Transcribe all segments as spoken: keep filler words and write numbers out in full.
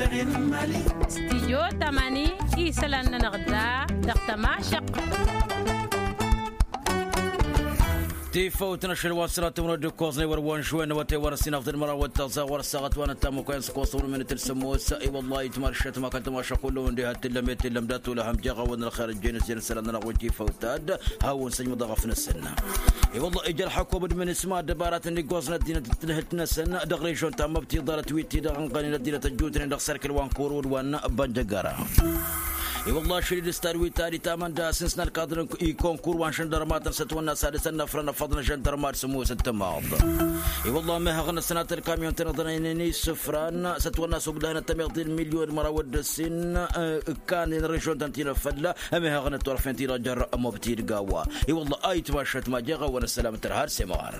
Stijyo tamani isălan-nănăɣ da dăɣ-tămašăɣt. Tifăwt n-ašăl wa s-sănatămrăd d-ǝkkoẓnăy wăr-wăn šwen wăte wăr-ăssinăɣ d-ălmăraw d-taẓa wăr-ăssaɣăt wa n-ăttamăkwa n-săkkoẓ tămrămănet d-sămmos. I-wălla-hi tǝmaršăt ma kăl-tămašăɣ kullu-wăn diha t-tǝllăm i-tǝllăm dat-olăhăm jeɣ-awănăn ălxer ǝjjăyăn s-jăn isălan-nănăɣ wăjjifăw tad hawăn-săjmăḍ aɣăf-năsăn. I-wălla-hi ija ălxăkum d-imǝnǝsma ăddăbaratăn d-iggoẓnen ăddinăt d-tinhǝlt-năsăn dăɣ-režon ta n-măbti ḍarăt wi t-dăɣ-ănɣănen ăddinăt ăjjuutnen dăɣ-serkǝl wa n-kuru d-wa n-bănjăgăra. I-wălla-hi ašăl-i d-ǝstad wi tari tamănda s-ǝnsǝn ălkaḍăn i-konkurs wa n-žăndărmatăn s-ătwănna s-ad-dăɣ-săn năfrăn ăfăḍăn žăndărmat sămoosăt tămaḍ. I-wălla-hi mehăɣ n-ăsnat ălkamyon-tăn iḍănăynen isǝfran s-ătwănna s-ogdăhăn ăttămeḍ d-milyon măraw d-ǝssin ǝkkanen režon-tăn ti n-ăffălla. Ămehăɣ n-ăttorfen ti-dăɣ jer-mobti d-gawa. I-wălla-hi ayǝtmašăt ma jeɣ-awăn ăssălam tărha d-semɣar.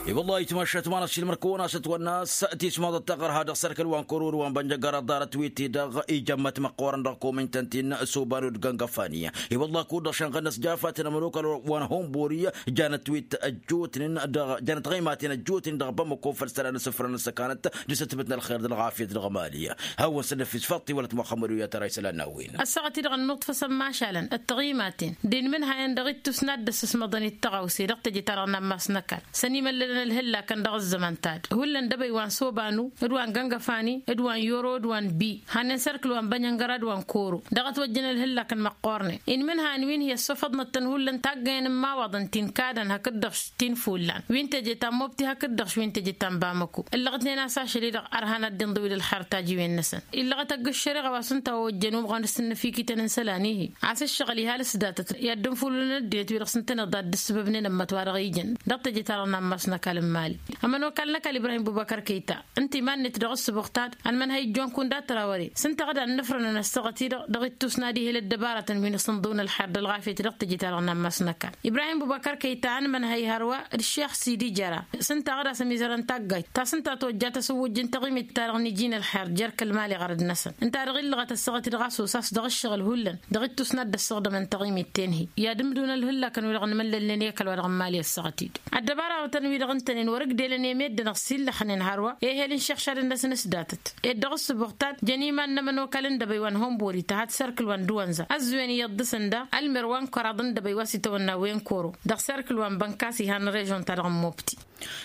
I-wălla-hi ayǝtmašăt ma n-ăššilmăr kăwăn-asăt wănnas tismaḍăt taɣărha dăɣ-sărkăl wa n-kăwrăwăd wa n-bănjăgăra ḍarăt wi t-dăɣ ijămmăt măqqoorăn dăɣ-komǝntăn ti n-suban d-găngăfani. I-wălla-hi kud-dăɣ šănɣănnăs jafat n-ămănokal wa n-honbori janăt wi t-ăjjootnen dăɣ-janăt ɣăymaten ăjjootnen dăɣ-bamăko făll-isălan n-asǝfrăn n-săkanăt d-asǝtbǝt n-ălxer d-ălɣafyăt dăɣ-emali. Hawăn-săn năfis făṭṭi wălăt muxămmăd u-yatăra isălan n-a-wen. Ăssaɣăt-i-dăɣ ănnuḍfăsăn mašalăn d-taɣimaten d-inmǝnhayăn dăɣ-ittus n-ad-dd-ăssăsmăḍăn i-tăɣawse dăɣ-teje-ta-dăɣ n-ammas n-ăkall s-ănimăllălăn ălhǝllakăn dăɣ-ăzzăman ta d-hullan d-ebăy wa n-sobanu d-wa n-găngăfani d-wa n-yoro d-wa n-bi hannen s-erkǝl wa n-bănyăngăra d-wa n-koro dăɣ-ătwăjjăn ălhǝllakăn măqqoornen. Inmǝnhayăn wi n-hi-ăssofăḍnăt tăn-hullan taggăyăn n-imawaḍăn ti n-kadăn hakd-dăɣ ti n-fullan wi n-teje ta n-mobti hakd-dăɣ wi n-teje ta n-bamăko. Ǝllăɣătnen a-s ašăl-i-dăɣ ărhanăt d-inḍǝwǝl ălxar tajiwen-năsăn. Illăɣăt ăgg-ǝššăreɣa wa s-ǝnta a ojjăn umɣăn s-ǝnnǝfikităn n-isălan-i-hi a-s ǝššăɣǝl ihal s-datăt i-ad-dd-ǝnfulǝlăn ăddinăt-wi-dăɣ s-ǝntăneḍ a dd-ǝssǝbăbnen ămmăt wa dăɣ-ijăn dăɣ-teje-ta-dăɣ n-ammas n-ăkall n-mali. Ămănokal n-ăkall ibrahim bubăkăr kăyta ǝnta iman-net dăɣ-ǝssǝbuɣ ta d-ănmănhăy ǝjjonkun d-atrawăre s-ǝnta ɣǝd a ǝnnǝfrănăn ăssaɣăt-i-dăɣ dăɣ-ittus n-ad-ihel ăddăbarătăn wi n-asǝnḍǝwăn ălxer d-ălɣafyăt dăɣ-teje-ta-dăɣ n-ammas n-ăkall. Ibrahim bubăkăr kăyta ănmănhăy hărwa d-ăššex sidi jăra s-ǝnta ɣǝd a-s ămizărăn taggayt ta s-ǝnta tojja tasǝwwǝjj n-taɣimit-ta-dăɣ n-iji n-ălxer jer-kăl-mali ɣărăd-năsăn ǝnta-dăɣ illăɣăt ăssaɣăt-i-dăɣ a-s osas dăɣ-ǝššăɣǝl hullan dăɣ-ittus n-ad-dd-ăssăɣdămăn taɣimit-ten-hi i-ad-ǝmdǝwăn ălhǝllakăn-wi-dăɣ ănmăllălnen i-ăkall wa dăɣ-n mali ăssaɣăt-dd. Ăddăbarawătăn-wi-dăɣ ǝntănen wăr-ǝgdelăn i-meddǝn-dăɣ s-illăxnen hărwa ehel n-išăɣšadăn-năsăn s-datăt ed dăɣ-ǝssǝbuɣ ta d-jăn iman n-ămănokal n-dăbăy wa n-honbori tăhat s-erkǝl wa n-dăwănza ăzzuwen iyyăḍ dăɣ-săn da ălmer wa n-kăraḍ n-dăbăy wa s-itawănna wen koro dăɣ-serkǝl wa n-bănkas ihan n-režon-ta-dăɣ n-mobti.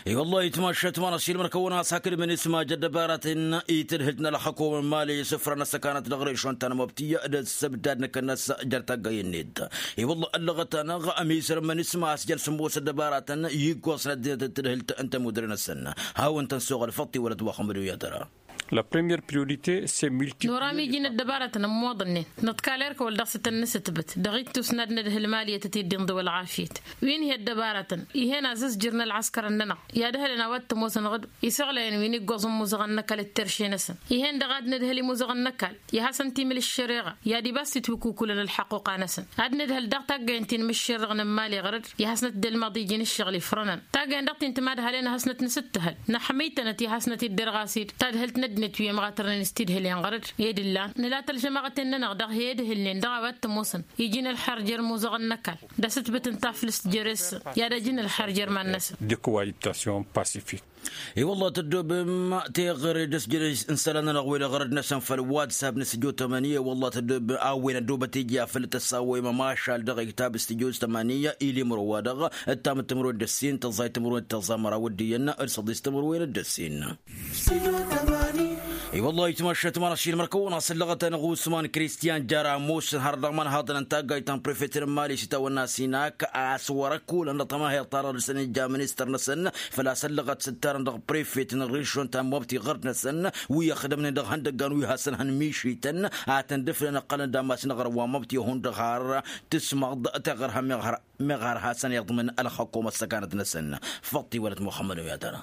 I-wăllah itmašăt ma n-ašilmăr kăwăn-as hakd mănismaj ăddăbaratăn i-tadhǝlt n-ălxăkum n-mali isǝfrăn ăssăkanăt dăɣ-režon ta n-mobti d-ăssăbdad n-akănnas jer-taggăy-net. I-wăllah ăllăɣăt-anăɣ ămizăr n-mănisma a-s jăl sǝmmos ăddăbaratăn i-iggoẓ n-ăddinăt d-tadhǝlt n-tămudre-năsăn. Hawăn-tăn-soɣăl făṭṭi wălăt wa xămăd u-yatăra. La première priorité c'est multiplier. Nora miji n-ăddăbarătăn ămmoḍănnen năḍkal erk wăl dăɣ-s tăn-nǝsǝtbǝt dăɣ-ittus n-ad-nǝdhǝl maliyăt ătiddi ǝnḍǝw ălɣafyăt. Wi n-hi-ăddăbarătăn ih'-en azǝzjǝr n-ălɣăskărăn-nănăɣ i-ad-ǝhǝlăn a-wa t-ămoosăn ɣǝd isăɣlăyăn wi n-iggoẓ n-imuzăɣăn n-ăkall d-terše-năsăn. Ih'-en dăɣ-ad-nǝdhǝl imuzăɣăn n-ăkall i-ad-hasăn-timǝl ǝššăreɣa i-ad-ibas titwǝkukǝlăn ălxăqquqa-năsăn. Ad-nǝdhǝl daɣ taggăyăn ti n-imǝššerrăɣ n-ămmal iɣrăd i-hasnăt dd-ălmaḍ iji n-ǝššăɣǝl ifrănăn. Taggăyăn dăɣ-ti n-timadhalen ad-hasnăt-nǝsǝttǝhăl năḥmăy-tănăt i-hasnăt-dd-ărɣas-dd tadhǝlt n-ăddinăt wi ămɣatărnen s-tidhǝlen ɣărăd. Ed ǝllan nǝla tălžămaɣăten-nănăɣ dăɣ-hi-ed ǝhǝlnen dăɣ-a-wa t-ămoosăn iji n-ălxer jer-imuzăɣăn n-ăkall d-asǝtbǝt n-taflǝst jere-s i-ad-ăj n-ălxer jer-iman-năsăn. De cohabitation pacifique. I-wăllah tăddoobem teɣăre d-asjăre n-isălan-nănăɣ wen iɣărăd-năsăn făll-whatsapp n-studio tămăni i-wăllah tăddoobem a-wen ăddoobăt ija făll-tăsawăyăm ămašal dăɣ-iktab studio tămăni ilimro-wa-dăɣ ǝttam d-timǝrwen d-ǝssin tăẓẓay timǝrwen d-tăẓẓa măraw d-iyyăn d-săḍis timǝrwen d-ǝssin. I-wăllah itmašăt ma n-ašilmăr kăwăn-asǝllăɣăt-anăɣ usman kristiyan jăr ămoosăn har dăɣ-iman haḍăn n-taggayt ta n-prefet n-mali s-itawănna sinak a-s wăr-ăkkulăn dăɣ-tămaheḍt-ta-dăɣ dăr-săn ija ministăr-năsăn făl-a-s ăllăɣăt s-ǝttarăn dăɣ-prefet n-ărižžon ta n-mobti ɣărd-năsăn wi ăxdămnen dăɣ-ihăndăggan wi hasăn-hăn mišităn ad-tăn-dd-ǝflăn ăqqălăn d-ammas n-aɣrǝm wa n-mobti ihundăɣ har tǝsmăḍ taɣărha meɣ har hasăn-iḍmǝn ălxăkom ăssăkanăt-năsăn. Făṭṭi wălăt muxămmăd oyatăra.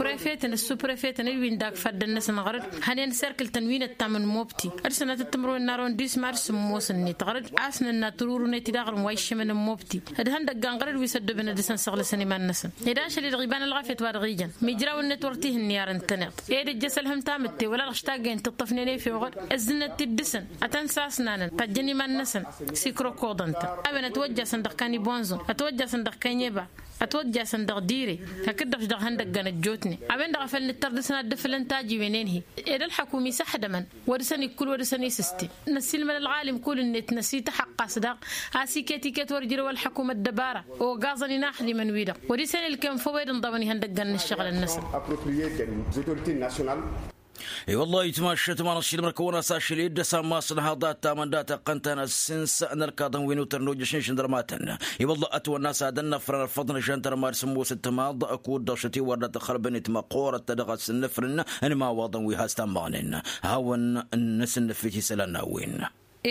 Prefetăn d-suprefetăn d-win-dăɣ faddăn-năsăn ɣărăd hănen serkǝl-tăn wi n-ăttam n-mobti d-sănatăt timǝrwen n-arondisma d-sǝmmos-net ɣărăd a-s nǝnna tǝrurǝnet-i daɣrǝm wa iššămăn n-mobti d-ihăndăggan ɣărăd wi s-ăddobăn ad-dăr-săn săɣlăsăn iman-năsăn. Ed ašăl-i-dăɣ iba n-ălɣafyăt wa dăɣ-ijăn mijrawăn-net wăr t-ihǝnni ar ǝntăneḍ ed ǝjjăs ălhăm tamǝtte wăla dăɣ-s taggăyăn tiṭṭăfnen efew ɣǝd ǝzzǝnăt-t-dd dăr-săn ad-tăn-sasnanăn tajjăn iman-năsăn s-ikrokoḍăn-tăn. A-wen ătwăjjasăn dăɣ-kanibonzon ătwăjjasăn dăɣ-kănyeba. ătwăjjasăn dăɣ-dire hakd-dăɣ-š dăɣ-ihăndăggăn ăjjootnen a-wen-dăɣ a făl nǝttăr dăɣ-săn ad-dd-ǝfǝlăn tajiwen-en-hi. Ed ălḥăkum isăḥdămăn wăr dăɣ-săn ikkǝl wăr dăɣ-săn isǝstin. Năssiilmăd ălɣalim kull-net năsităxăqqas daɣ a-s iket-iket wăr ǝjrăw ălḥăkum ăddăbara ogaẓăn inaxdimăn-wi-dăɣ wăr-isăn ilkăyăn făw ed ǝnḍăwăn ihăndăggăn n-ǝššăɣǝlăn-năsăn. I-wălla itmašăt ma n-ašilmăr kăwăn-as ašăl-i dd-ăsammas n-haḍa ăttamăn dat-iqqăn-tăn ăssins n-ălkaḍăn wi n-utăr n-ojjăš n-žăndărmatăn. I-wălla ătwănna a-s ad-ănnăfrăn ărfăḍ n-žăndărma d-sǝmmos ǝttămaḍ kud-dăɣ šăt-i-wăr dat-ăxxălbăn itmăqqoorăt dăɣ-asǝnnăfrǝn n-imawaḍăn wi has-tammăɣnen. Hawăn-nǝsǝnnǝfit isălan n-a-wen.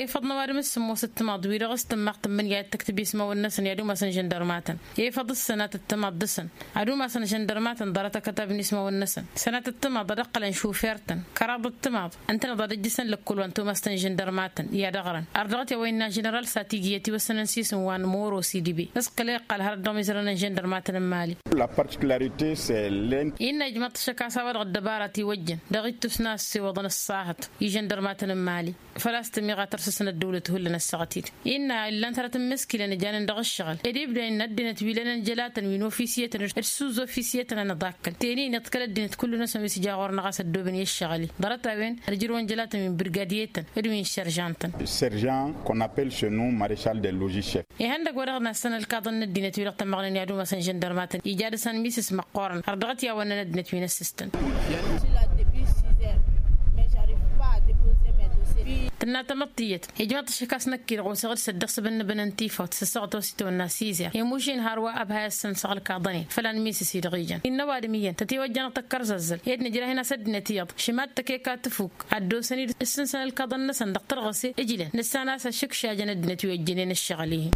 Efăḍ n-ăwadǝm s-sǝmmos ǝttămaḍ wi-dăɣ s-tǝmmaɣ tǝmmǝnǝya d-tăktǝb ismawăn-năsăn i-ad-umasăn žăndărmatăn. Efăḍ s-sănat ǝttămaḍ dăɣ-săn ad-umasăn žăndărmatăn ḍarăt akătabăn ismawăn-năsăn. Sănat ǝttămaḍ ad-ăqqălăn šufer-tăn kăraḍ ǝttămaḍ ǝntăneḍ ad-ăjjǝsăn lăkkul wa n-tumast n-žăndărmatăn i-ad-ăɣrăn. Ărdăɣăt i-a-wa innă ženeral sati gǝyăt iwăssănăn s-isǝm wa n-moro sidibe s-kăla iqqal hărăt dăɣ-mizărăn n-žăndărmatăn n-mali. Innă ijmăḍ-t ašăk a-s a-wa-dăɣ ăddăbara ti-wăjjăn dăɣ-ittus n-a ăssewăḍăn ăṣṣahăt i-žăndărmatăn n-mali. Făl-a-s tămiɣa tărsǝsăn ăddăwlăt hullan ăssaɣăt-dd innă illan-t hărăt n-imǝskilăn ǝjanen dăɣ-ǝššăɣǝl ed ibda innă ăddinăt wi lănen jălatăn wi n-ofisyetăn d-suz-ofisyetăn anăḍakkăl teni-net kăl-ăddinăt kullu-năsăn wi s-ija ɣur-năɣ a-s ăddooben i-ǝššăɣǝl-i. Ḍarăt-a-wen ăjrăwăn jălatăn wi n-birgadiyetăn d-wi n-šăržantăn. Serjant qu'on appelle chez nous maréchal de logis chef. Ihăndăgg wa dăɣ-nassăn ălkaḍăn n-ăddinăt wi-dăɣ tămmăɣnen i-ad-umasăn žăndărmatăn ija dăɣ-săn misǝs măqqoorăn har dăɣ-t i-a-wănnăn ăddinăt wi n-ăssistăn. Tǝnna tamăḍt tiyyăt ijmăḍ-t ašăk a-s năkk-i-dăɣ osăɣ-dd s-ăddiɣ s-abăn n-abăn n-tifawt s-ăssaɣăt wa s-itawănna s-izer i-mušin hărwa ăbhay-asăn s-ăɣ ǝlkaḍăn-in făl anmiisǝs-i-dăɣ ijan. Innă ăwadǝm iyyăn tătiwăjjăn dăɣ-tăkkărzăzzăl ed nǝjrah-in a-s ăddinăt iyyăḍ šǝmat tăkeka tǝfuk ad-dd-osăn-dd ǝssǝnsăn ǝlkaḍăn-năsăn dăɣ-tărɣǝse ǝjlăn nǝssan a-s ašǝkšajăn ăddinăt wi ăjjănen ǝššăɣǝl-ihin.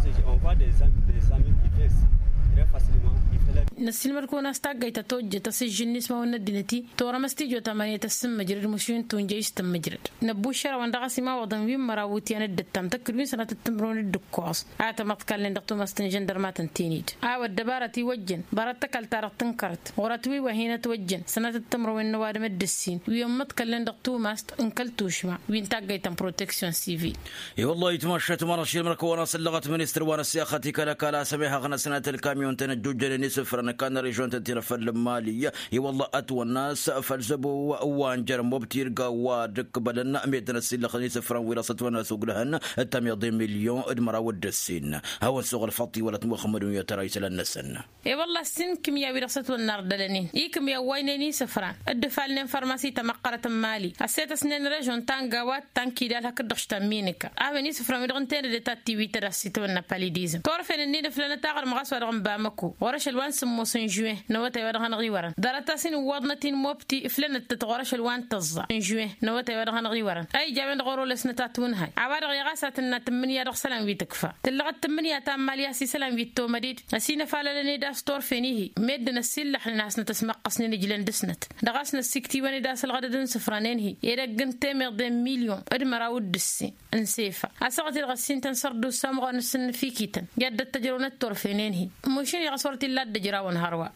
Năssiilmăd-kăwăn a-s taggayt ta tojjăt asǝžžǝn n-ismawăn n-ăddinăt-i torăm ăstijot amăniyăt ăssǝmmǝjrăd mušin tunjăy s-tǝmmǝjrăd. Năbbu ǝššărawăn dăɣ-a-s imawăḍăn wi n-măraw iwǝtyan d-ǝttam tăkk-dd wi n-sănatăt timǝrwen d-ǝkkoẓ a tămăḍkalnen dăɣ-tumast n-žăndărmatăn tenid. A-wa ăddăbara ti-wăjjăn ḍarăt tăkăl-ta-dăɣ tǝnkărăt ɣur-ătwǝy wa hin-ătwăjjăn sănatăt timǝrwen n-ăwadǝm d-ǝssin wi ămmăḍkălnen dăɣ-tumast n-kăl-tušma wi n-taggayt ta n-proteksyon sivil. I-wăllah itmašat ma n-ašilmăr kăwăn-asăllăɣăt ministăr wa n-ăssixăt i-kăl-ăkall a-s ămihăɣ n-ăsnat ălkamyon-tăn ăjjojjănen isǝfrăn ăkall n-režion-tăn ti n-afăl n-mali. I-wăllah ătwănna a-s făll-zăbo wa n-jer-mobti irga wa d-ǝkkǝbălăn meddǝn ăssillăxăn isǝfrăn wi dăɣ-s ătwănna a-s uglăhăn d-tamiḍe milyon d-măraw d-ǝssin. Hawăn-suɣǝl făṭṭi wăla t-muxămmădun i-tăra isălan-năsăn. E-wălla ăssin kǝmya wi dăɣ-s ătwănna ardălăn-in i-kǝmya ăwwaynen isǝfran dd-ǝfalnen fărmasi tamăqqărăt n-mali ăssetăsnen režon ta n-gawat ta n-kidal hakd-dăɣ štamminǝka a-wen isǝfran wi-dăɣ ǝnta enăde ta t-tiwităd a-s itwănna palidizm turfen ǝnnin ǝflănăt aɣrǝm ɣas wa dăɣ-n-bamăko ɣur-ašăl wa n-sǝmmos n-žuwen n-awătay wa dăɣ-hanăɣ-iwărăn ḍarăt-as-in ǝwwaḍnăt-in mobti ǝflănăt-tăt ɣur-ašăl wa n-tǝẓẓa n-žuwen n-awătay wa dăɣ-hanăɣ-iwărăn a ija a-wen-dăɣ orolesnăt a tunhăy. A-wa-dăɣ iɣas a tǝnna tǝmmǝnǝya dăɣ-isălan wi tǝkfa tǝllăɣăt tǝmmǝnǝya ta n-mali a-s isălan wi t-tomăded ăsinăfalălăn-ed a-s turfen-ihi meddǝn ăsillăxnen a-s nătăsmăqqăsnen ǝjlăn dăɣ-snăt. Dăɣ-asnăt-siktǝwăn-dd a-s ălɣădăd n-isǝfranen-hi edăgg n-temeḍe n-milyon d-măraw d-ǝssin n-sefa. Asăɣăt-dd ɣăssintăn sărdusa ămɣan n-sǝnnǝfikităn i-ad-dd-ăttăjrăwnăt turfenen-hi. Mušin iɣas wăr t-illa a dd-ăjrawăn hărwa.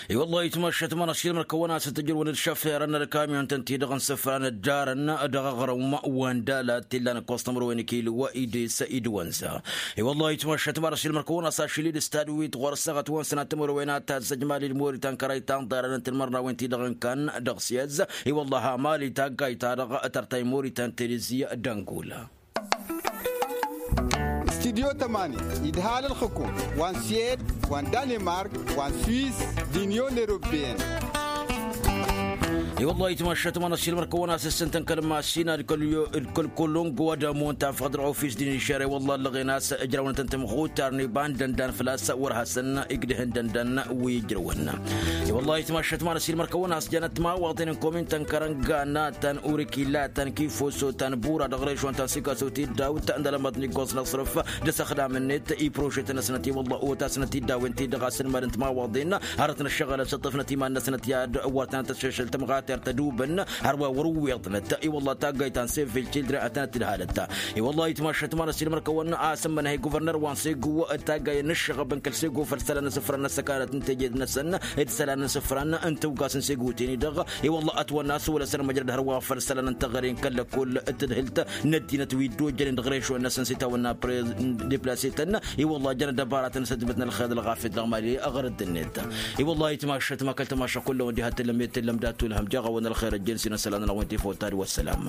I-wăllah itmăššăt ma n-ašilmăr kăwăn-asăt ǝjrǝwăn d-šăfirăn n-ălkamyon-tăn-ti-dăɣ n-isǝfran ăddarăn dăɣ-aɣrǝm wa n-dalat t-illan ǝkkoẓ timǝrwen ikilǝw ides idwănza. I-wăllah itmăššăt ma n-ašilmăr kăwăn-as ašil-i d-ǝstad wi t-ɣur-săɣăt wa n-sănat timǝrwen ad-tazzăj mali d-mori ta n-kărăy ta n-ḍarăn n-timărnawen-ti-dăɣ n-kan dăɣ-s i-ăzz. I-wăllah a mali taggayt-ta-dăɣ tărtay mori ta n-telezi d-ăngula. Studyo tămani idhal ǝlxǝkum wa n-siyed wa n-danemark wa n-swiss d-inyon eropeyăn. I-wăllah itmăššăt ma n-ašilmăr kăwăn-asǝssǝntăn kăl-mašina d-kăl-kolongo ad-ămon tafăɣ dăɣ-ofis d-inšăre wăllah ăllăɣen a-s ǝjrăwnătăn tămɣutar n-iba n-dăndan făl-a-s wăr hasăn-igdǝhǝn dăndan wi ǝjrăwăn. I-wăllah itmăššăt ma n-ašilmăr kăwăn-asjănăt timawaḍen n-komin-tăn kărănga natăn urikila tăn kifoso tăn bura dăɣ-režon tăn sikaso tiddawt n-alămăḍ n-iggoẓ n-asrǝf d-asăxdam-net i-prožetăn-năsnăt i-wălla otasnăt iddawen-ti-dăɣ asǝlmad n-timawaḍen. Hărăt n-ăššăɣǝl ăsǝṭṭǝfnăt iman-năsnăt i-ad-wăr tăn-tăššăšăl tămɣat tădubăn hărwa wăr-ǝwweḍnăt. I-wălla taggayt ta n-sevil cildren ad-tăn-ăttǝdhalăt. I-wălla itmašăt ma n-ăsilmăr-kăwăn a-s ǝmmănăhăy guvărnăr wa n-segu d-taggay n-ǝššăɣăb n-kăl segu făll-isălan n-asǝfran n-ăssăkanăt n-teje-năsăn d-isălan n-asǝfran n-tawgas n-segu teni-dăɣ. I-wălla ătwănna a-s wăla săr măjrăd hărwa făll-isălan n-teɣăre n-kăl-lăkul d-tadhǝlt n-ăddinăt wi dd-ojjănen dăɣ-rešo-năsăn s-itawănna deplasetăn. I-wălla jăn ăddăbaratăn s-ăddubăt n-ălxer d-ălɣafyăt dăɣ-mali ăɣrăd-net. I-wălla itmašăt ma kăl-tamaša kullăwăn diha tǝllăm i-tǝllăm dat-tulhăm jaɣ-awăn ălxer ăjjeen s-inăsălan-năwăn tifawt ta d-wăssălam.